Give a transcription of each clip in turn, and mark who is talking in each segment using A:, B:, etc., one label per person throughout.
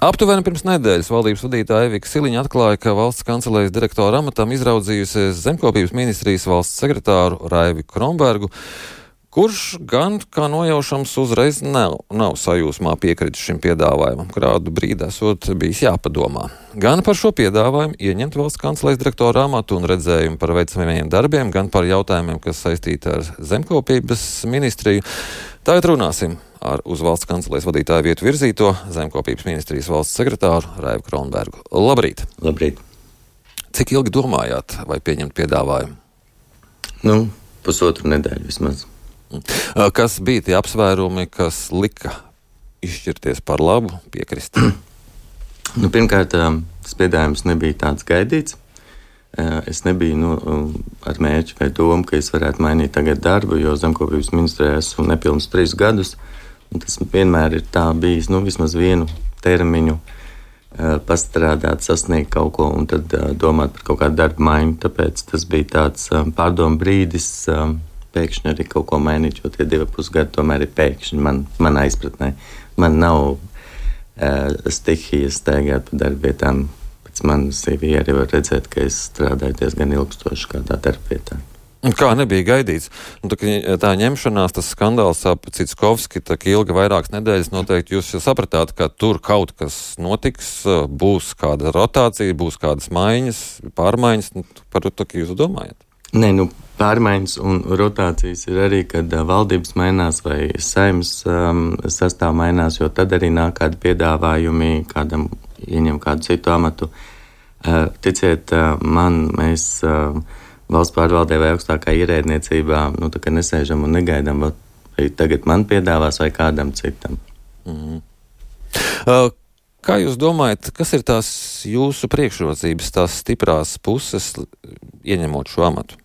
A: Aptuveni pirms nedēļas valdības vadītāja Evika Siliņa atklāja, ka valsts kancelējas direktora amatam izraudzījusies zemkopības ministrijas valsts sekretāru Raivi Kronbergu, kurš gan, kā nojaušams, uzreiz nav sajūsmā piekritis šim piedāvājumam, kādu brīdi esot bijis jāpadomā. Gan par šo piedāvājumu ieņemt valsts kancelējas direktora amatu un redzējumu par veicamajiem darbiem, gan par jautājumiem, kas saistīti ar zemkopības ministriju. Tagad runāsim ar uz valsts kancelējas vadītāja vietu virzīto zemkopības ministrijas valsts sekretāru Raivi Kronbergu. Labrīt!
B: Labrīt!
A: Cik ilgi domājāt, vai pieņemt piedāvājumu?
B: Pusotru nedēļu vismaz.
A: Kas bija tie apsvērumi, kas lika izšķirties par labu, piekrist?
B: Pirmkārt, tas piedāvājums nebija tāds gaidīts. Es nebiju ar mērķi vai domu, ka es varētu mainīt tagad darbu, jo zemkopības ministrijā esmu nepilnus 3 gadus. Tas vienmēr ir tā bijis, vismaz vienu termiņu pastrādāt, sasniegt kaut ko un tad domāt par kaut kādu darbu maiņu. Tāpēc tas bija tāds pārdomu brīdis, pēkšņi arī kaut ko mainīt, jo tie 2,5 gadi tomēr ir pēkšņi manā izpratnē. Man nav stihijas staigāt pa darbvietām. Pēc manas CV arī var redzēt, ka es strādāju diezgan ilgstoši kādā darbvietā.
A: Kā nebija gaidīts? Tā ņemšanās, tas skandāls ap Citskovski, tā ilga vairākas nedēļas, noteikti jūs sapratāt, ka tur kaut kas notiks, būs kāda rotācija, būs kādas maiņas, pārmaiņas, par to, ka jūs domājat?
B: Nē, pārmaiņas un rotācijas ir arī, kad valdības mainās vai saeimas sastāv mainās, jo tad arī nāk kādi piedāvājumi, kādam ieņem kādu citu amatu. Ticiet man, mēs valsts pārvaldē vai augstākā ierēdniecībā, tā kā nesēžam un negaidām, vai tagad man piedāvās vai kādam citam.
A: Kā jūs domājat, kas ir tās jūsu priekšrocības, tās stiprās puses, ieņemot šo amatu?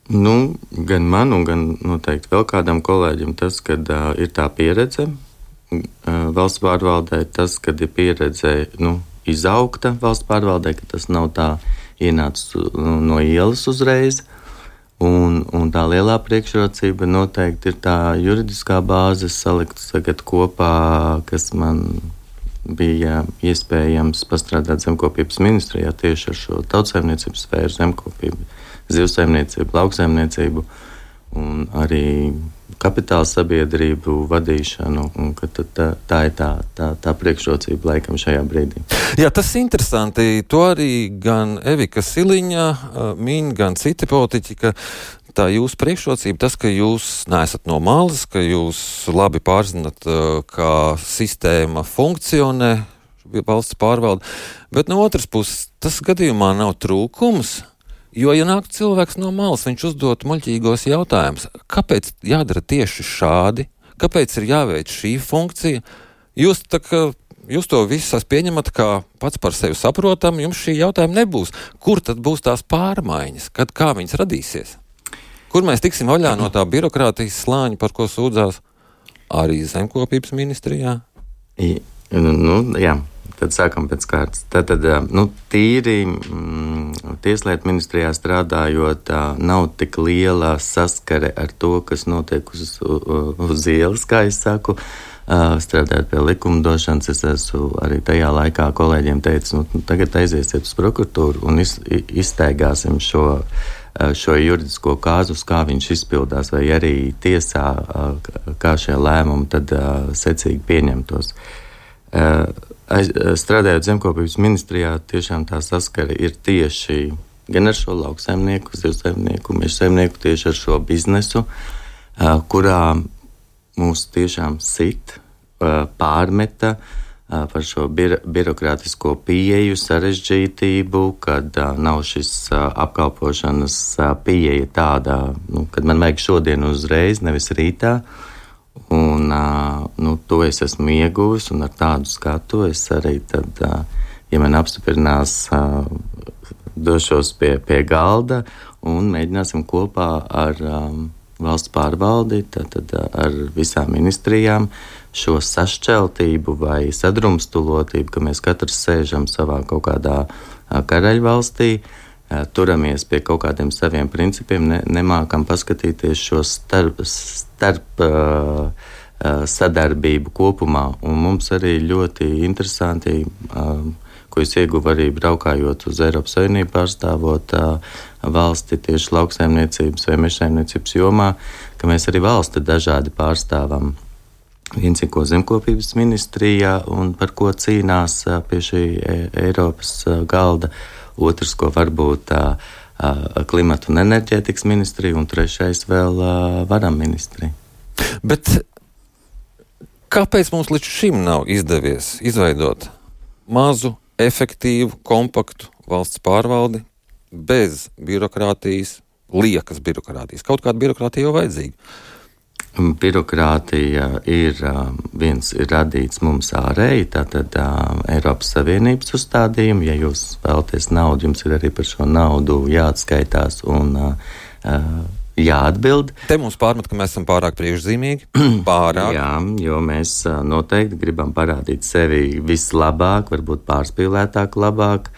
B: Gan man un gan noteikti vēl kādam kolēģim tas, kad ir tā pieredze. Valsts pārvaldē tas, kad ir pieredze izaugta valsts pārvaldē, ka tas nav tā ienācis no ielas uzreiz. Un tā lielā priekšrocība noteikti ir tā juridiskā bāze salikt tagad kopā, kas man bija iespējams pastrādāt zemkopības ministrijā tieši ar šo tautsaimniecības sfēru, zemkopību, zivsaimniecību, lauksaimniecību un arī kapitāla sabiedrību vadīšanu, un ka tā ir tā priekšrocība laikam šajā brīdī.
A: Jā, tas ir interesanti. To arī gan Evika Siliņa min, gan citi politiķi, ka tā jūsu priekšrocība, tas, ka jūs neesat no malas, ka jūs labi pārzinat, kā sistēma funkcionē, valsts pārvalde, bet no otras puses, tas gadījumā nav trūkums. Jo, ja nāk cilvēks no malas, viņš uzdot muļķīgos jautājumus, kāpēc jādara tieši šādi, kāpēc ir jāveic šī funkcija, jūs to visu pieņemat kā pats par sevi saprotam, jums šī jautājuma nebūs. Kur tad būs tās pārmaiņas, kā viņas radīsies? Kur mēs tiksim vaļā no tā birokrātijas slāņa, par ko sūdzās arī zemkopības ministrijā?
B: Jā. Tad sākam pēc kārtas. Tad tīri tieslietu ministrijā strādājot, nav tik liela saskare ar to, kas notiek uz ielas, kā es saku. Strādājot pie likumdošanas, es esmu arī tajā laikā kolēģiem teicis, tagad aiziesiet uz prokuratūru un iztaigāsim šo juridisko kāzus, kā viņš izpildās, vai arī tiesā, kā šie lēmumi tad secīgi pieņemtos. Strādājot zemkopības ministrijā, tiešām tā saskara ir tieši gan ar šo lauksaimnieku, zivsaimnieku, mežsaimnieku, tieši ar šo biznesu, kurā mūs tiešām sit, pārmeta par šo birokrātisko pieeju, sarežģītību, kad nav šis apkalpošanas pieeja tāda, kad man vajag šodien uzreiz, nevis rītā. Un to es esmu ieguvis, un ar tādu skatu es arī tad, ja man apstiprinās, došos pie galda un mēģināsim kopā ar valsts pārvaldi, tad ar visām ministrijām šo sašķeltību vai sadrumstulotību, ka mēs katrs sēžam savā kaut kādā karaļvalstī, turamies pie kaut kādiem saviem principiem, nemākam paskatīties šo starp sadarbību kopumā. Un mums arī ļoti interesanti, ko es ieguvu arī braukājot uz Eiropas Savienību pārstāvot valsti tieši lauksaimniecības vai mežsaimniecības jomā, ka mēs arī valsti dažādi pārstāvam. Viens ir, ko zemkopības ministrijā un par ko cīnās pie šī Eiropas galda, otrs, ko varbūt klimata un enerģētikas ministrija, un trešais vēl varam ministrija.
A: Bet kāpēc mums līdz šim nav izdevies izveidot mazu, efektīvu, kompaktu valsts pārvaldi bez birokrātijas, liekas birokrātijas? Kaut kāda birokrātija jau vajadzīga.
B: Birokrātija ir radīts mums ārēji, tātad Eiropas Savienības uzstādījumi. Ja jūs vēlaties naudu, jums ir arī par šo naudu jāatskaitās un jāatbild.
A: Te mums pārmet, ka mēs esam pārāk priekšzīmīgi. Pārāk.
B: Jā, jo mēs noteikti gribam parādīt sevi vislabāk, varbūt pārspīlētāk labāk,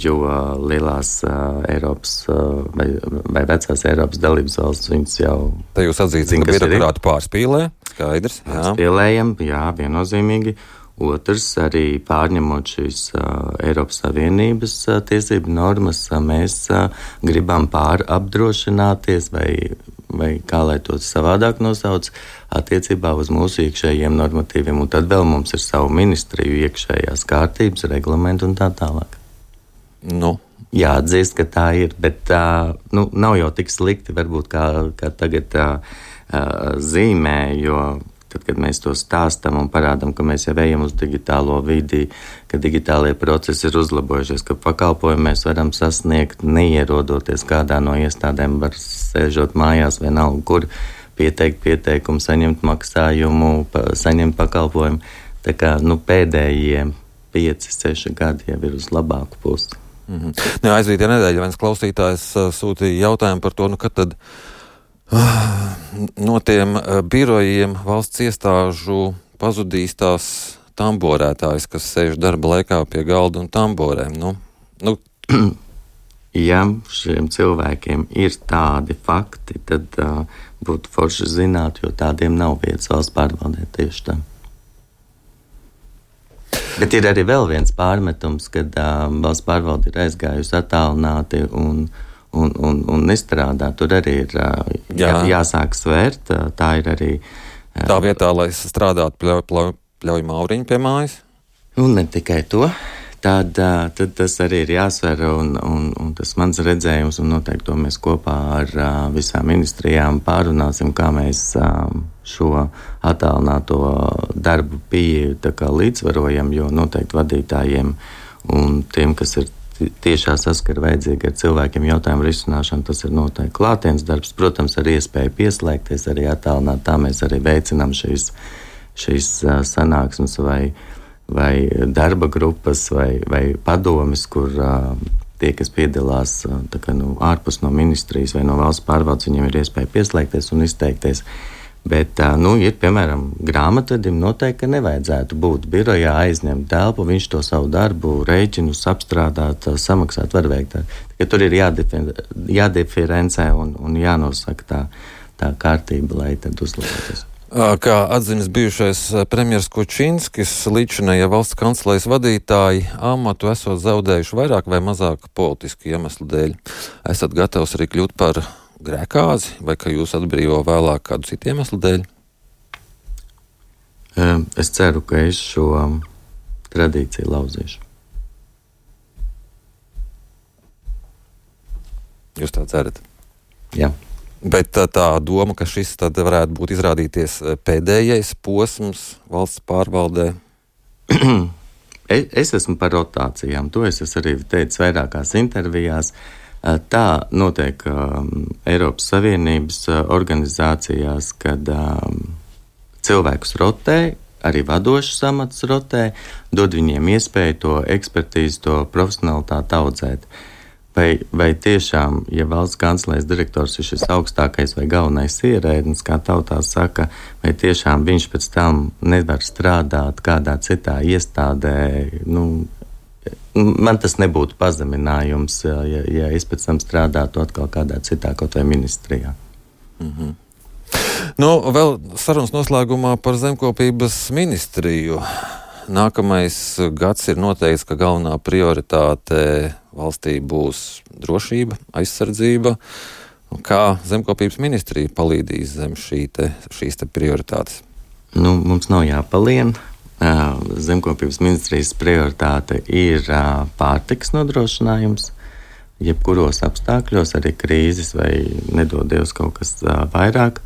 B: jo lielās Eiropas vai vecās Eiropas dalības valsts viņas jau...
A: Te jūs atzīstat, ka birokrāti pārspīlē, skaidrs.
B: Pārspīlējam, jā, viennozīmīgi. Otrs, arī pārņemot šīs Eiropas Savienības tiesību normas, mēs gribam pārapdrošināties vai kā lai to savādāk nosauc, attiecībā uz mūsu iekšējiem normatīviem. Un tad vēl mums ir savu ministriju iekšējās kārtības, reglamentu un tā tālāk.
A: Nu.
B: Jāatzīst, ka tā ir, bet nav jau tik slikti varbūt kā tagad zīmē, jo tad, kad mēs to stāstam un parādam, ka mēs jau ejam uz digitālo vidi, ka digitālie procesi ir uzlabojušies, ka pakalpojumi mēs varam sasniegt, neierodoties kādā no iestādēm, var sēžot mājās vienalga, kur pieteikt pieteikumu, saņemt maksājumu, saņemt pakalpojumu. Tā kā pēdējie 5-6 gadi jau ir uz labāku pusi.
A: Aizvītajā nedēļā viens klausītājs sūtīja jautājumu par to, kad tad no tiem birojiem valsts iestāžu pazudīs tās tamborētājas, kas sēž darba laikā pie galda un tamborēm.
B: Ja šiem cilvēkiem ir tādi fakti, tad būtu forši zināt, jo tādiem nav vietas valsts pārvaldē tieši tā. Bet ir arī vēl viens pārmetums, kad valsts pārvalde ir aizgājusi attālināti un nestrādā. Tur arī ir jāsāk svērt. Tā ir arī...
A: Tā vietā, lai strādātu, pļauj Mauriņu pie mājas?
B: Un ne tikai to. Tad tas arī ir jāsver, un tas mans redzējums, un noteikti to mēs kopā ar visām ministrijām pārunāsim, kā mēs šo attālināto darbu pieeju tā kā līdzvarojam, jo noteikti vadītājiem un tiem, kas ir tiešā saskara vajadzīgi ar cilvēkiem jautājumu risināšanu, tas ir noteikti klātienes darbs. Protams, ar iespēju pieslēgties, arī attālināt, tā mēs arī veicinām šīs sanāksmes vai darba grupas vai padomes, kur tie, kas piedalās ārpus no ministrijas vai no valsts pārvaldes, viņiem ir iespēja pieslēgties un izteikties. Bet, ir, piemēram, grāmatvedim noteikti, ka nevajadzētu būt birojā, aizņemt telpu, viņš to savu darbu, rēķinus apstrādāt, samaksāt, var veikt. Tur ir jādiferencē un jānosaka tā kārtība, lai tad uzlabotos.
A: Kā atzinis bijušais premjers Kučinskis, līdzinējie valsts kancelejas vadītāji amatu esot zaudējuši vairāk vai mazāk politisku iemeslu dēļ. Esat gatavs arī kļūt par grēkāzi, vai ka jūs atbrīvo vēlāk kādu citu iemeslu dēļ?
B: Es ceru, ka es šo tradīciju lauzīšu.
A: Jūs tā cerat?
B: Jā.
A: Bet tā doma, ka šis tad varētu būt izrādīties pēdējais posms valsts pārvaldē?
B: Es esmu par rotācijām. To es arī teicu vairākās intervijās. Tā notiek Eiropas Savienības organizācijās, kad cilvēkus rotē, arī vadošas amats rotē, dod viņiem iespēju to ekspertīzi, to profesionalitāti audzēt. Vai tiešām, ja valsts kancelejas direktors ir šis augstākais vai galvenais ierēdnis, kā tautā saka, vai tiešām viņš pēc tam nevar strādāt kādā citā iestādē, man tas nebūtu pazeminājums, ja es pēc tam strādātu atkal kādā citā kaut vai ministrijā.
A: Vēl sarunas noslēgumā par zemkopības ministriju. Nākamais gads ir noteikts, ka galvenā prioritāte valstī būs drošība, aizsardzība. Kā zemkopības ministrija palīdzīs zem šīs prioritātes?
B: Mums nav jāpalien. Zemkopības ministrijas prioritāte ir pārtikas nodrošinājums. Jebkuros apstākļos, arī krīzes vai nedodies kaut kas vairāk.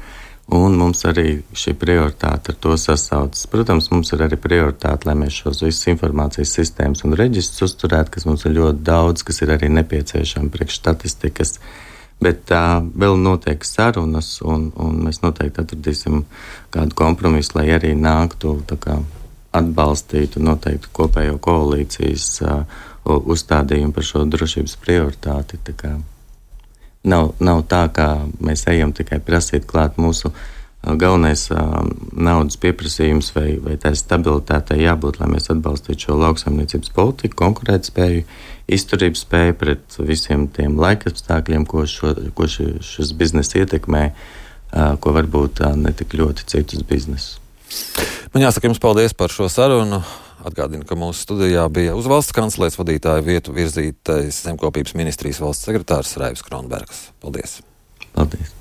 B: Un mums arī šī prioritāte ar to sasaucas. Protams, mums ir arī prioritāte, lai mēs šos visus informācijas sistēmas un reģistrus uzturētu, kas mums ir ļoti daudz, kas ir arī nepieciešami priekš statistikas. Bet vēl notiek sarunas, un mēs noteikti atradīsim kādu kompromisu, lai arī nāktu atbalstītu noteikti kopējo koalīcijas uzstādījumu par šo drošības prioritāti. Nav tā, ka mēs ejam tikai prasīt klāt mūsu galvenais naudas pieprasījums vai tā stabilitātei jābūt, lai mēs atbalstītu šo lauksaimniecības politiku, konkurētspēju, izturības spēju pret visiem tiem laikapstākļiem, ko šis biznes ietekmē, ko varbūt ne tik ļoti citus biznesus.
A: Man jāsaka jums paldies par šo sarunu. Atgādinu, ka mūsu studijā bija uz valsts kanclēs vadītāja vietu virzītais zemkopības ministrijas valsts sekretārs Raivis Kronbergs. Paldies!
B: Paldies!